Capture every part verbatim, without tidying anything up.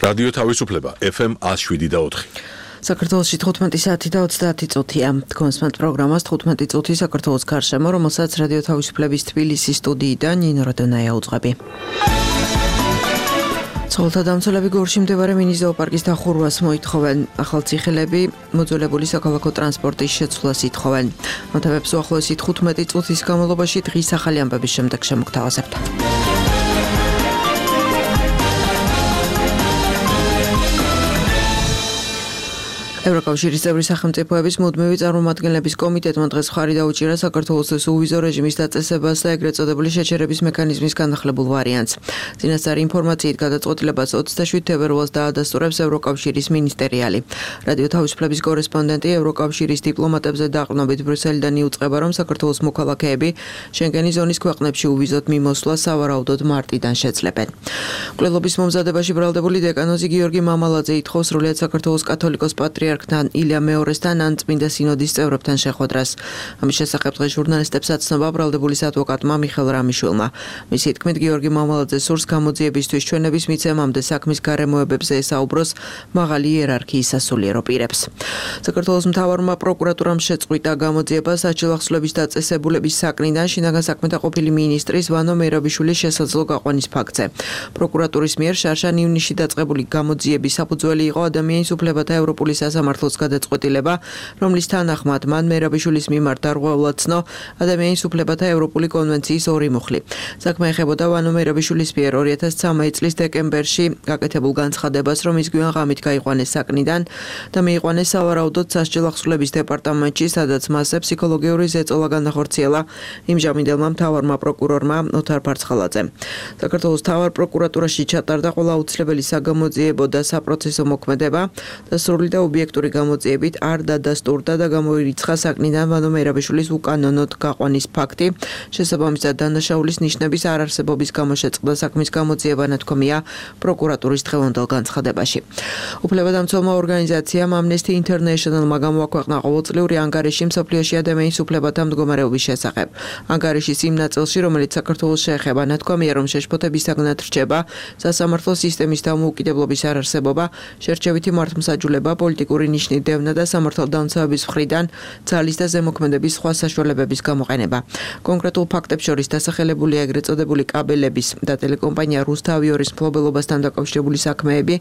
რადიო თავისუფლება ეფ ემ one oh seven და four. საქართველოში თხუთმეტი საათი და ოცდაათი წუთია. Თქვენსმენთ პროგრამას თხუთმეტი წუთი საქართველოს გარშემო, რომელსაც რადიო თავისუფლების თბილისის სტუდიიდან ნინო როდონაია უძღვები. ცხოველთა დამცველები გორში მდებარე მინი ზოოპარკის დახურვას მოითხოვენ. ახალციხელები მოძველებული საქალაქო ტრანსპორტის შეცვლას ითხოვენ. მოთხოვებს უახლოესი თხუთმეტი წუთის განმავლობაში დღის ახალი ამბების შემდეგ შემოგთავაზებთ. ევროკავშირის წევრი სახელმწიფოების მუდმივი წარმომადგენლების კომიტეტმა დღეს მხარი დაუჭირა საქართველოს უვიზო რეჟიმის დაწესებას და ეგრეთ წოდებული შეჩერების მექანიზმის განახლებულ ვარიანტს. წინასწარი ინფორმაციით გადაწყვეტილებას ოცდაშვიდ თებერვალს დაადასტურებს ევროკავშირის მინისტერიალი. რადიო თავისუფლების კორესპონდენტი ევროკავშირის დიპლომატებზე დაყრდნობით ბრიუსელიდან იუწყება, რომ საქართველოს მოქალაქეები შენგენის ზონის ქვეყნებში უვიზოდ მიმოსვლა სავარაუდოდ მარტიდან შეძლებენ. მკვლელობის მომზადებაში ბრალდებული დეკანოზი გიორგი მამალაძე ითხოვს სრულიად საქართველოს კათოლიკოს პატრიარქ ილია მეორესთან ან წმინდა სინოდის წევრებთან შეხვედრას. ამის შესახებ დღეს ჟურნალისტებს აცნობა ბრალდებულის ადვოკატმა მიხელ რამიშვილმა. მისი თქმით, გიორგი მამალაძე სურს გამოძიებისთვის ჩვენების მიცემამდე საქმის გარემოებებზე ესაუბროს მაღალი იერარქიის სასულიერო პირებს. საქართველოს მთავარმა პროკურატურამ შეწყვიტა გამოძიება საჯელახსოვრების დაწესებულების საკნიდან შინაგან საქმეთა ყოფილი მინისტრის ვანო მერაბიშვილის შესაძლო გაყვანის ფაქტზე. პროკურატურის მიერ შარშან ივნისში დაწყებული გამოძიების საფუძველი იყო ადამიანის უფლებათა ევროპული სამართლოს გადაწყვეტილება, რომლის თანახმად მან მერაბიშვილის მიმართ დარღვეულად ცნო ადამიანის უფლებათა ევროპული კონვენციის ორი მუხლი. საქმე ეხებოდა ვანო მერაბიშვილის მიერ ორი ათას ცხრამეტი წლის დეკემბერში გაკეთებულ განცხადებას, რომ ის გვიან ღამით გაიყვანეს საკნიდან და მიიყვანეს სავარაუდოდ სასჯელახსოვრების დეპარტამენტში, სადაც მასზე ფსიქოლოგიური ზეწოლა განახორციელა იმჟამინდელმა მთავარმა პროკურორმა ოთარ ფარცხალაძემ. საქართველოს მთავარ პროკურატურაში ჩატარდა ყველა აუცილებელი საგამოძიებო და საპროცესო მოქმედება და სრული და ობიექტური გამოძიებით არ დადასტურდა და გამოირიცხა საკნიდან ვანო მერაბიშვილის უკანონოდ გაყვანის ფაქტი. შესაბამისად დანაშაულის ნიშნების არ არსებობის გამო შეწყდა საქმის გამოძიება, ნათქვამია პროკურატურის დღევანდელ განცხადებაში. უფლებადამცველმა ორგანიზაციამ Amnesty International-მა გამოაქვეყნა ყოველწლიური ანგარიში მსოფლიოში ადამიანის უფლებათა მდგომარეობის შესახებ. ანგარიშის იმ ნაწილში, რომელიც საქართველოს შეეხება, ნათქვამია, რომ შეშფოთებისაგანად რჩება სასამართლო სისტემის დამოუკიდებლობის არარსებობა, შერჩევითი მართლმსაჯულება, პოლიტიკური ნიშნის დევნა და სამართალდამცავების მხრიდან ძალის და ზემოქმედების სხვა საშუალებების გამოყენება. კონკრეტულ ფაქტებს შორის დასახელებულია ეგრეთ წოდებული კაბელების და ტელეკომპანია რუსთავიორის მფლობელობასთან დაკავშირებული საქმეები,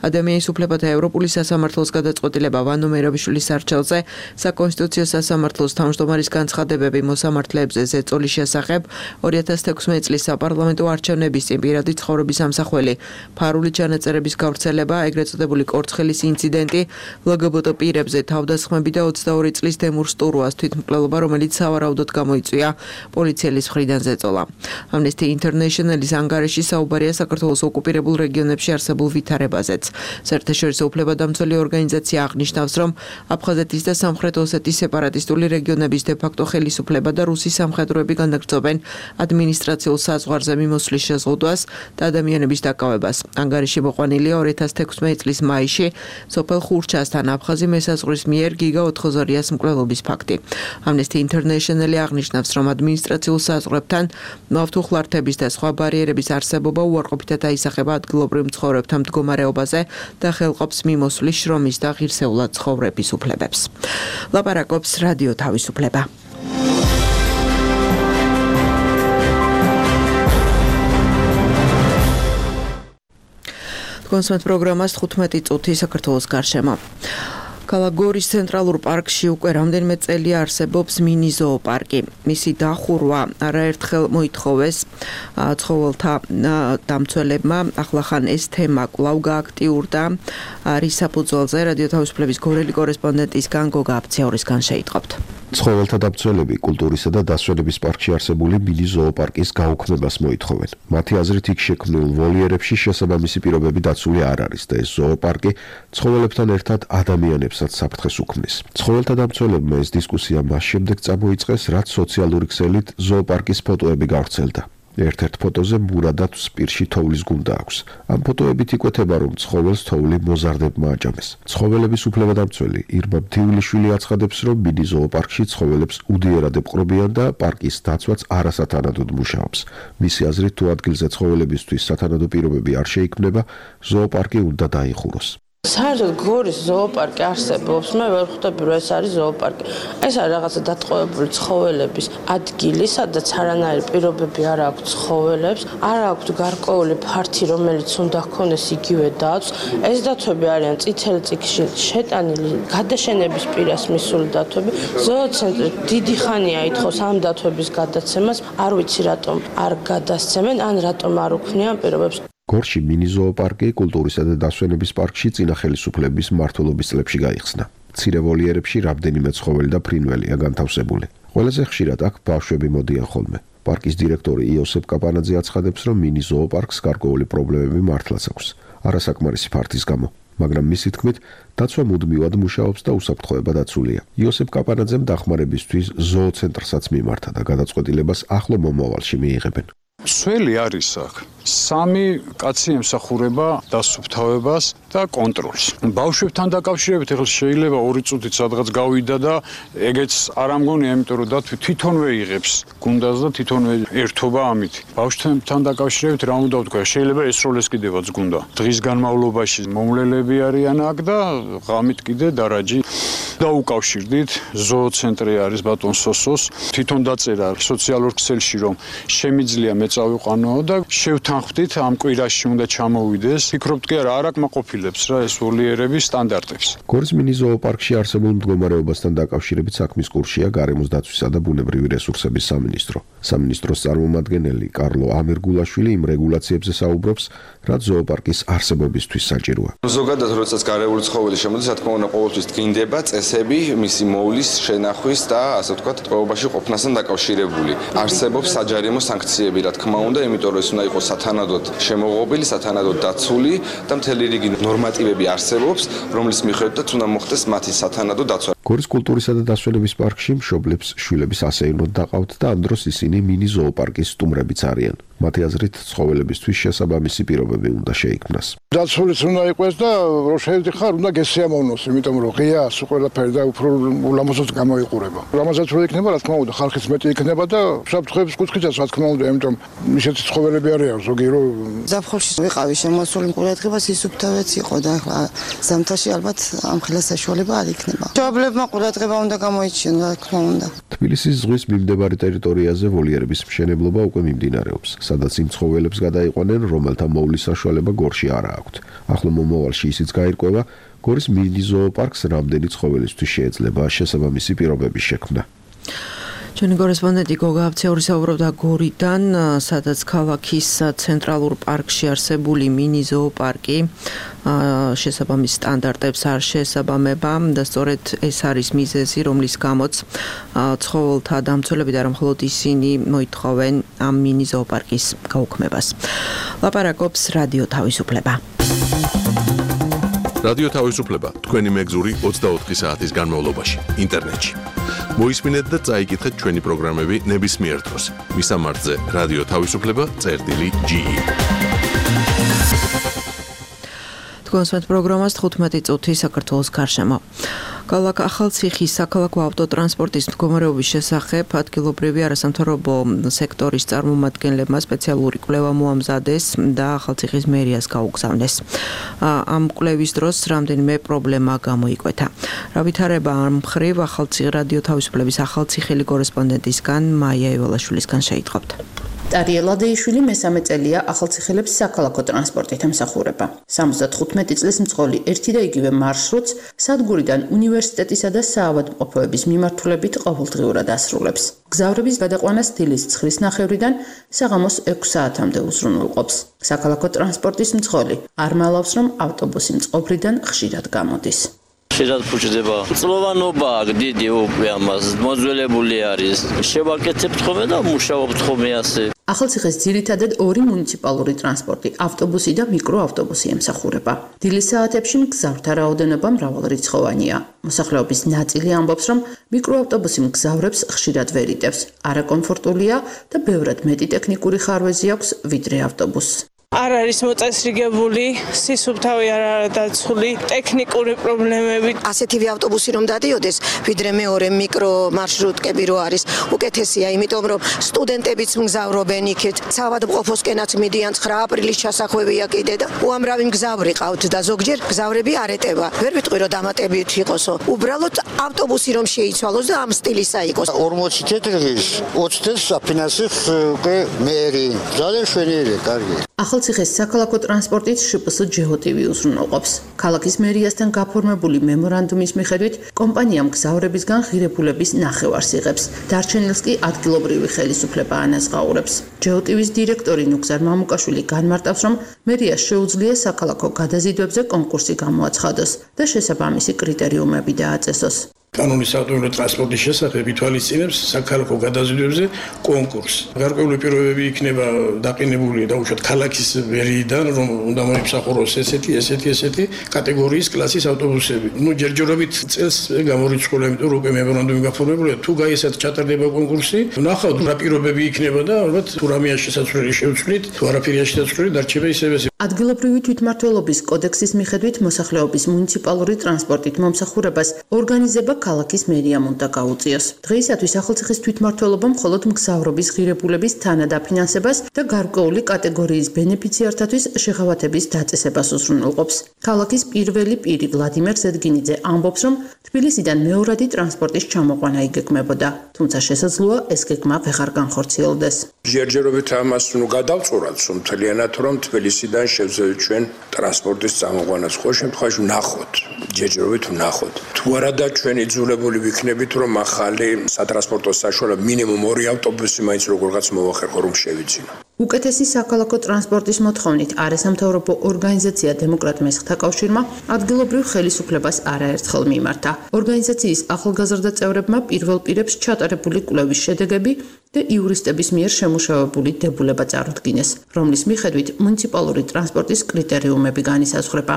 ადამიანის უფლებათა ევროპული სასამართლოს გადაწყვეტილება ვანო მერაბიშვილის არჩევზე, საკონსტიტუციო სასამართლოს თავმჯდომარის განცხადებები მოსამართლეებზე ზეწოლის შესახებ, ორი ათას თექვსმეტი წლის საპარლამენტო არჩევნების წინ პირადი ცხოვრების ამსახველი, ფარული ჩანაწერების გავრცელება, ეგრეთ წოდებული კორცხელის ინციდენტი, ლგბტ პირებზე თავდასხმები და ოცდაორი წლის დემურ სტურუას თვითმკვლელობა, რომელიც სავარაუდოდ გამოიწვია პოლიციელის მხრიდან ზეწოლა. Amnesty International-ის ანგარიში საუბარია საქართველოს ოკუპირებულ რეგიონებში არსებულ ვითარებაზეც. საერთაშორისო უფლებადამცველი ორგანიზაცია აღნიშნავს, რომ აფხაზეთის და სამხრეთ ოსეთის სეპარატისტული რეგიონების დე-ფაქტო ხელისუფლება და რუსი სამხედროები განაგრძობენ ადმინისტრაციულ საზღვარზე მიმოსვლის შეზღუდვას და ადამიანების დაკავებას. ანგარიში მოყვანილია ორი ათას თექვსმეტი წლის მაისში სოფელ ხურჩასთან აფხაზი მესაზღვრის მიერ გიგა ოთხოზორიას მკვლელობის ფაქტი. Amnesty International-ი აღნიშნავს, რომ ადმინისტრაციულ საზღვრებთან ნავთუხლართების და სხვა ბარიერების არსებობა უარყოფითად აისახება ადგილობრივ მცხოვრებთა მდგომარეობაზე და ხელყოფს მიმოსვლის, შრომის და ღირსეულად ცხოვრების უფლებებს. ლაპარაკობს რადიო თავისუფლება. კონსმენთ პროგრამას თხუთმეტი წუთი საქართველოს გარშემო. ქალაქ გორის ცენტრალურ პარკში უკვე რამდენიმე წელია არსებობს მინი ზოოპარკი. მისი დახურვა არაერთხელ მოითხოვეს ცხოველთა დამცველებმა. ახლახან ეს თემა კვლავ გააქტიურდა. რის საფუძველზე რადიო თავისუფლების გორელი კორესპონდენტისგან გოგა აბციაურისგან შეიტყობთ. ცხოველთა დამცველები კულტურისა და დასვენების პარკში არსებული მინი ზოოპარკის გაუქმებას მოითხოვენ. მათი აზრით, იქ შექმნილ ვოლიერებში შესაბამისი პირობები დაცული არ არის და ეს ზოოპარკი ცხოველებთან ერთად ადამიანებსაც საფრთხეს უქმნის. ცხოველთა დამცველებმა ეს დისკუსია მას შემდეგ წამოიწყეს, რაც სოციალური ქსელით ზოოპარკის ფოტოები გავრცელდა. ერთ-ერთ ფოტოზე მურადად სპირში თოვლის გუნდა აქვს. ამ ფოტოებით იკვეთება, რომ ცხოველს თოვლი მოზარდებმა აჭამეს. ცხოველების უფლებადამცველი ირმა მთიულიშვილი აცხადებს, რომ მინი ზოოპარკში ცხოველებს უდიერად ეპყრობიან და პარკის დაცვაც არასათანადოდ მუშაობს. მისი აზრით, თუ ადგილზე ცხოველებისთვის სათანადო პირობები არ შეიქმნება, ზოოპარკი უნდა დაიხუროს. საერთოდ გორის ზოოპარკი არსებობს. მე ვერ ხვდები, რომ ეს არის ზოოპარკი. ეს არის რაღაცა დატყვევებული ცხოველების ადგილი, სადაც არანაირი პირობები არ აქვს ცხოველებს, არ აქვს გარკვეული ფართი, რომელიც უნდა ჰქონდეს იგივე დაცვს. ეს დათვები არიან წითელ წიგნში შეტანილი გადაშენების პირას მისული დათვები. ზოოცენტრი დიდი ხანია ითხოვს ამ დათვების გადაცემას. არ ვიცი რატომ არ გადასცემენ, ან რატომ არ უქმნიან პირობებს. გორში მინი ზოოპარკი კულტურისა და დასვენების პარკში წინა ხელისუფლების მმართველობის წლებში გაიხსნა. მცირე ვოლიერებში რამდენიმე ცხოველი და ფრინველია განთავსებული. ყველაზე ხშირად აქ ბავშვები მოდიან ხოლმე. პარკის დირექტორი იოსებ კაპანაძე აცხადებს, რომ მინი ზოოპარკს გარკვეული პრობლემები მართლაც აქვს. არასაკმარისი ფართის გამო. მაგრამ მისი თქმით, დაცვა მუდმივად მუშაობს და უსაფრთხოება დაცულია. იოსებ კაპანაძემ დახმარებისთვის ზოოცენტრსაც მიმართა და გადაწყვეტილებას ახლო მომავალში მიიღებენ. Სველი არის აქ. სამი კაცი ემსახურება დასუფთავებას და კონტროლს. ბავშვებთან დაკავშირებით ახლა შეიძლება ორი წუთით სადღაც გავიდა და ეგეც არ ამგონია, იმიტომ რომ დათვი თვითონვე იღებს გუნდას და თვითონვე ერთობა ამით. ბავშვებთან დაკავშირებით რა უნდა ვთქვა, შეიძლება ესროლეს კიდევაც გუნდა. დღის განმავლობაში მომლელები არიან აქ და ღამით კიდე დარაჯი დაუკავშირდით. ზოოცენტრი არის ბატონ სოსოს. თვითონ დაწერა სოციალურ ქსელში, რომ შემიძლია მეწავიყვანო და შევთანხმდით ამ კვირაში უნდა ჩამოვიდეს. ფიქრობთ კი არა, არ აკმაყოფილებს რა ეს ვოლიერების სტანდარტებს. გორის მინი ზოოპარკში არსებულ მდგომარეობასთან დაკავშირებით საქმის კურსია გარემოს დაცვისა და ბუნებრივი რესურსების სამინისტრო. სამინისტროს წარმომადგენელი კარლო ამირგულაშვილი იმ რეგულაციებზე საუბრობს, რაც ზოოპარკის არსებობისთვის საჭიროა. ზოგადად, როდესაც გარეული ცხოველი შემოდის, რა თქმა უნდა, ყოველთვის დგინდება წესები მისი მოვლის, შენახვის და ასე ვთქვათ, ტყვეობაში ყოფნასთან დაკავშირებული. არსებობს საჯარიმო სანქციები, რა თქმა უნდა, იმიტომ რომ ეს უნდა იყოს სათანადოდ შემოღობილი, სათანადოდ დაცული და მთელი რიგი ნორმატივები არსებობს, რომლის მიხედვითაც უნდა მოხდეს მათი სათანადო დაცვა. გორის კულტურისა და დასვენების პარკში მშობლებს შვილების ასეირნოდ დაყავთ და ამ დროს ისინი მინი ზოოპარკის სტუმრებიც არიან. მათი აზრით, ცხოველებისთვის შესაბამისი პირობები უნდა შეიქმნას. დაცულიც უნდა იყოს და რო შეედიხარ, უნდა გესიამოვნოს, იმიტომ რომ ღია სულ ყველაფერი და უფრო ულამაზოდ გამოიყურება. ულამაზად რო იქნება, რა თქმა უნდა, ხალხიც მეტი იქნება და საფრთხეების კუთხითაც რა თქმა უნდა, იმიტომ ისეთი ცხოველები არიან ზოგი რო ზაფხულში ვიყავი შემოსული ყურადღებას ისუფთავეც იყო და ახლა ზამთარში ალბათ ამ ხელა საშუალება არ იქნება. მშობლებმა ყურადღება უნდა გამოიჩინონ, რა თქმა უნდა. თბილისის ზღვის მიმდებარე ტერიტორიაზე ვოლიერების მშენებლობა უკვე მიმდინარეობს, სადაც იმ ცხოველებს გადაიყვანენ, რომელთა მოვლის საშუალება გორში არ აქვთ. ახლო მომავალში ისიც გაირკვევა, გორის მინი ზოოპარკს რამდენი ცხოველისთვის შეიძლება შესაბამისი პირობების შექმნა. ჩვენი კორესპონდენტი გოგა აბციური საუბრობდა გორიდან, სადაც ქალაქის ცენტრალურ პარკში არსებული მინი ზოოპარკი შესაბამის სტანდარტებს არ შეესაბამება და სწორედ ეს არის მიზეზი, რომლის გამოც ცხოველთა დამცველები და არა მხოლოდ ისინი მოითხოვენ ამ მინი ზოოპარკის გაუქმებას. ლაპარაკობს რადიო თავისუფლება. რადიო თავისუფლება თქვენი მეგზური ოცდაოთხი საათის განმავლობაში ინტერნეტში. მოისმინეთ და წაიკითხეთ ჩვენი პროგრამები ნებისმიერ დროს. მისამართზე რადიო თავისუფლება წერტილი ჯი ი. თქვენს პროგრამას თხუთმეტი წუთი საქართველოს გარშემო. ქალაქ ახალციხის საქალაქო ავტოტრანსპორტის მდგომარეობის შესახებ ადგილობრივი არასამთავრობო სექტორის წარმომადგენლებმა სპეციალური კვლევა მოამზადეს და ახალციხის მერიას გაუგზავნეს. ამ კვლევის დროს რამდენიმე პრობლემა გამოიკვეთა. რა ვითარება ამ მხრივ ახალციხის რადიო თავისუფლების ახალციხელი კორესპონდენტისგან მაია ევალაშვილისგან შეიტყობთ. ტარიელ ადეიშვილი მესამე წელია ახალციხელებს საქალაქო ტრანსპორტით ემსახურება. სამოცდათხუთმეტი წლის მწყოლი ერთი და იგივე მარშრუტს სადგურიდან უნივერსიტეტისა და საავადმყოფოების მიმართულებით ყოველდღიურად ასრულებს. გზავრების გადაყვანას დილის ცხრის ნახევრიდან საღამოს ექვს საათამდე უზრუნველყოფს. საქალაქო ტრანსპორტის მწყოლი არ მალავს, რომ ავტობუსი მწყობრიდან ხშირად გამოდის. ხშირად ფუჭდება. წლოვანობა დიდი უპე ამას მოძველებული არის. შევაკეთებთ ხოლმე და მუშაობთ ხოლმე ასე. ახალციხეს ძირითადად ორი მუნიციპალური ტრანსპორტი, ავტობუსი და მიკროავტობუსი ემსახურება. დილის საათებში მგზავრთა რაოდენობა მრავალრიცხოვანია. მოსახლეობის ნაწილი ამბობს, რომ მიკროავტობუსი მგზავრებს ხშირად ვერ იტევს, არაკომფორტულია და ბევრად მეტი ტექნიკური ხარვეზი აქვს ვიდრე ავტობუსს. არ არის მოწესრიგებული, სისუფთავი არ არის დაცული, ტექნიკური პრობლემები. ასეთივე ავტობუსი რომ დადიოდეს, ვიდრე მეორე მიკრო მარშრუტკები რო არის, უკეთესია, იმიტომ რომ სტუდენტებიც მგზავრობენ იქით, საავადმყოფოსკენაც მიდიან ცხრა აპრილის ჩასახვევია კიდე და უამრავი მგზავრი ყავთ და ზოგჯერ მგზავრები არ ეტევა. ვერ ვიტყვი რომ დამატებით იყოსო. უბრალოდ ავტობუსი რომ შეიცვალოს და ამ სტილისა იყოს. ორმოცი თეთრიღის ოცდაათს საფინანსებს უკვე მერი. ძალიან შვენიერი, კარგი. ახალციხეს საქალაქო ტრანსპორტით შპს ჯეოტივი უზრუნველყოფს. ქალაქის მერიასთან გაფორმებული მემორანდუმის მიხედვით კომპანია მგზავრებისგან ღირებულების ნახევარს იღებს. დარჩენილს კი ადგილობრივი ხელისუფლება ანაზღაურებს. ჯეოტივის დირექტორი ნუგზარ მამუკაშვილი განმარტავს, რომ მერიას შეუძლია საქალაქო გადაზიდვებზე კონკურსი გამოაცხადოს და შესაბამისი კრიტერიუმები დააწესოს. კანონის ავტომობილური ტრანსპორტის შესახებ ითვალისწინებს საქალაქო გადაზიდვებზე კონკურსს. გარკვეული პირობები იქნება დაყენებული დაუშვათ ქალაქის მერიიდან, რომ უნდა მოიმსახუროს ესეთი, ესეთი, ესეთი კატეგორიის კლასის ავტობუსები. ნუ ჯერჯერობით წელს გამორიცხული, იმიტომ რომ უკვე მემორანდუმი გაფორმებულია, თუ გაიესათ ჩატარდება კონკურსი, ნახავთ რა პირობები იქნება და ალბათ თუ რამეა შესაძლებელი შევცვლით, თუ არაფერია შესაძლებელი დარჩება ისევე. ადგილობრივი თვითმმართველობის კოდექსის მიხედვით მოსახლეობის მუნიციპალური ტრანსპორტით მომსახურებას ორგანიზება ქალაქის მერიამ უნდა გაუწიოს. დღეისათვის ახალციხის თვითმმართველობა მხოლოდ მგზავრობის ღირებულების თანადაფინანსებას და გარკვეული კატეგორიის ბენეფიციართათვის შეღავათების დაწესებას უზრუნველყოფს. ქალაქის პირველი პირი ვლადიმერ ზედგინიძე ამბობს, რომ თბილისიდან მეორადი ტრანსპორტის ჩამოყვანა იგეგმებოდა, თუმცა შესაძლოა ეს გეგმა ვეღარ განხორციელდეს. ჯერჯერობით ამას ნუ გადავწურათ, რომ მთლიანად რომ თბილისიდან შევძევით ჩვენ ტრანსპორტის წამოყვანას. ხო შემთხვევაში ვნახოთ, ჯერჯერობით ვნახოთ. თუ არადა ჩვენ იძულებული ვიქნებით, რომ ახალი სატრანსპორტო საშუალება მინიმუმ ორი ავტობუსი მაინც როგორღაც მოვახერხო, რომ შევიძინო. უკეთესი საქალაქო ტრანსპორტის მოთხოვნით არასამთავრობო ორგანიზაცია დემოკრატ მესხთა კავშირმა ადგილობრივ ხელისუფლებას არაერთხელ მიმართა. ორგანიზაციის ახალგაზრდა წევრებმა პირველ პირებს ჩატარებული კვლევის შედეგები და იურისტების მიერ შემუშავებული დებულება წარუდგინეს, რომლის მიხედვით მუნიციპალური ტრანსპორტის კრიტერიუმები განისაზღვრება.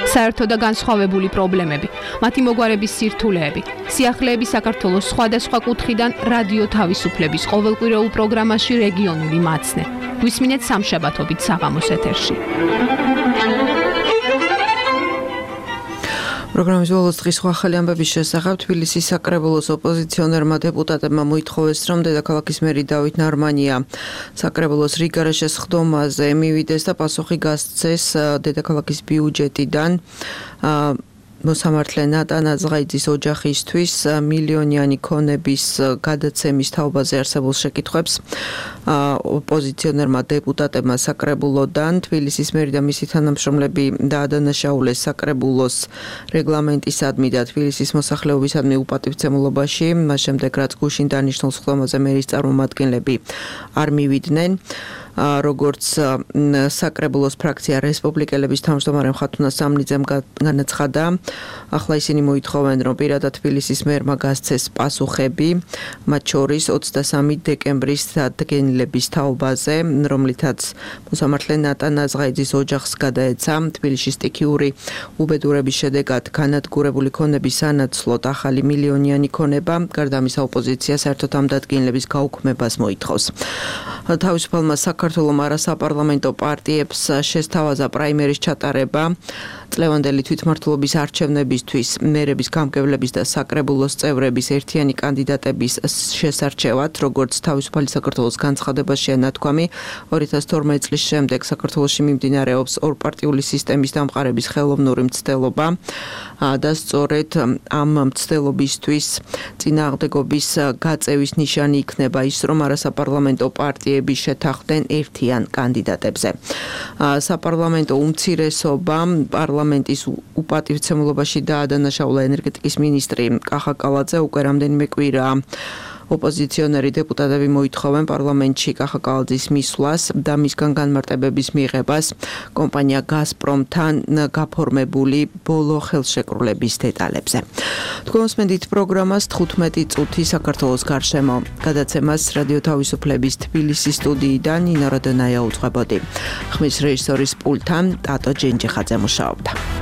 საერთო და განსხვავებული პრობლემები, მათი მოგვარების სირთულეები, სიახლეები საქართველოს სხვადასხვა კუთხიდან რადიო თავისუფლების ყოველკვირეულ პროგრამაში რეგიონული მაცნე. გვისმინეთ სამშაბათობით საღამოს ეთერში. პროგრამის ბოლოს დღის ახალი ამბების შესახებ თბილისის საკრებულოს ოპოზიციონერმა დეპუტატებმა მოითხოვეს, რომ დედაქალაქის მერი დავით ნარმანია საკრებულოს რიგარაშეს ხდომაზე მივიდეს და პასუხი გასცეს დედაქალაქის ბიუჯეტიდან მოსამართლე ნატა ნაზღაიძის ოჯახისთვის მილიონიანი ქონების გადაცემის თაობაზე არსებულ შეკითხვებს ოპოზიციონერმა დეპუტატებმა საკრებულოდან თბილისის მერი და მისი თანამშრომლები დაადანაშაულეს საკრებულოს რეგლამენტისადმი და თბილისის მოსახლეობისადმი უპატივცემულობაში, მას შემდეგ რაც გუშინ დანიშნულ ხდომაზე მერის წარმომადგენლები არ მივიდნენ. როგორც საკრებულოს ფრაქცია რესპუბლიკელების თავმჯდომარე მხატვრונה სამნიძემ განაცხადა, ახლა ისინი მოითხოვენ, რომ პირადად თბილისის მერმა გასცეს პასუხები, მათ შორის ოცდასამი დეკემბრის დადგენილების თაობაზე, რომლითაც მოსამართლე ნატა ნაზღაიძის ოჯახს გადაეცა თბილისში სტიქიური უბედურების შედეგად განადგურებული ქონების სანაცვლოდ ახალი მილიონიანი ქონება, გარდა ამისა ოპოზიცია საერთოდ ამ დადგენილების გაუქმებას მოითხოვს. თავისუფალმა საქართველოს არასაპარლამენტო პარტიებს შესთავაზა პრაიმერის ჩატარება წლევანდელი თვითმმართველობის არჩევნებისთვის მერების გამგებლების და საკრებულოს წევრების ერთიანი კანდიდატების შესარჩევად, როგორც თავისუფალი საქართველოს განცხადებაშია ნათქვამი, ორი ათას თორმეტი წლის შემდეგ საქართველოში მიმდინარეობს ორპარტიული სისტემის დამყარების ხელოვნური მცდელობა და სწორედ ამ მცდელობისთვის წინააღმდეგობის გაწევის ნიშანი იქნება ის, რომ არასაპარლამენტო პარტიები შეთანხმდნენ ერთიან კანდიდატებზე. საპარლამენტო უმცირესობა პარლამენტის უპატივცემულობაში დაადანაშაულა ენერგეტიკის მინისტრი კახა კალაძე უკვე რამდენიმე კვირაა ოპოზიციონერი დეპუტატები მოითხოვენ პარლამენტში კახა კალაძის მისვლას და მისგან განმარტებების მიღებას კომპანია გაზპრომთან გაფორმებული ბოლო ხელშეკრულების დეტალებზე. თქვენ მოსმენთ პროგრამას თხუთმეტი წუთი საქართველოს გარშემო. გადაცემას რადიო თავისუფლების თბილისის სტუდიიდან ნინო როდონაია უძღვებოდი. ხმის რეჟისორის პულტთან ტატო ჯენჯიხაძე მუშაობდა.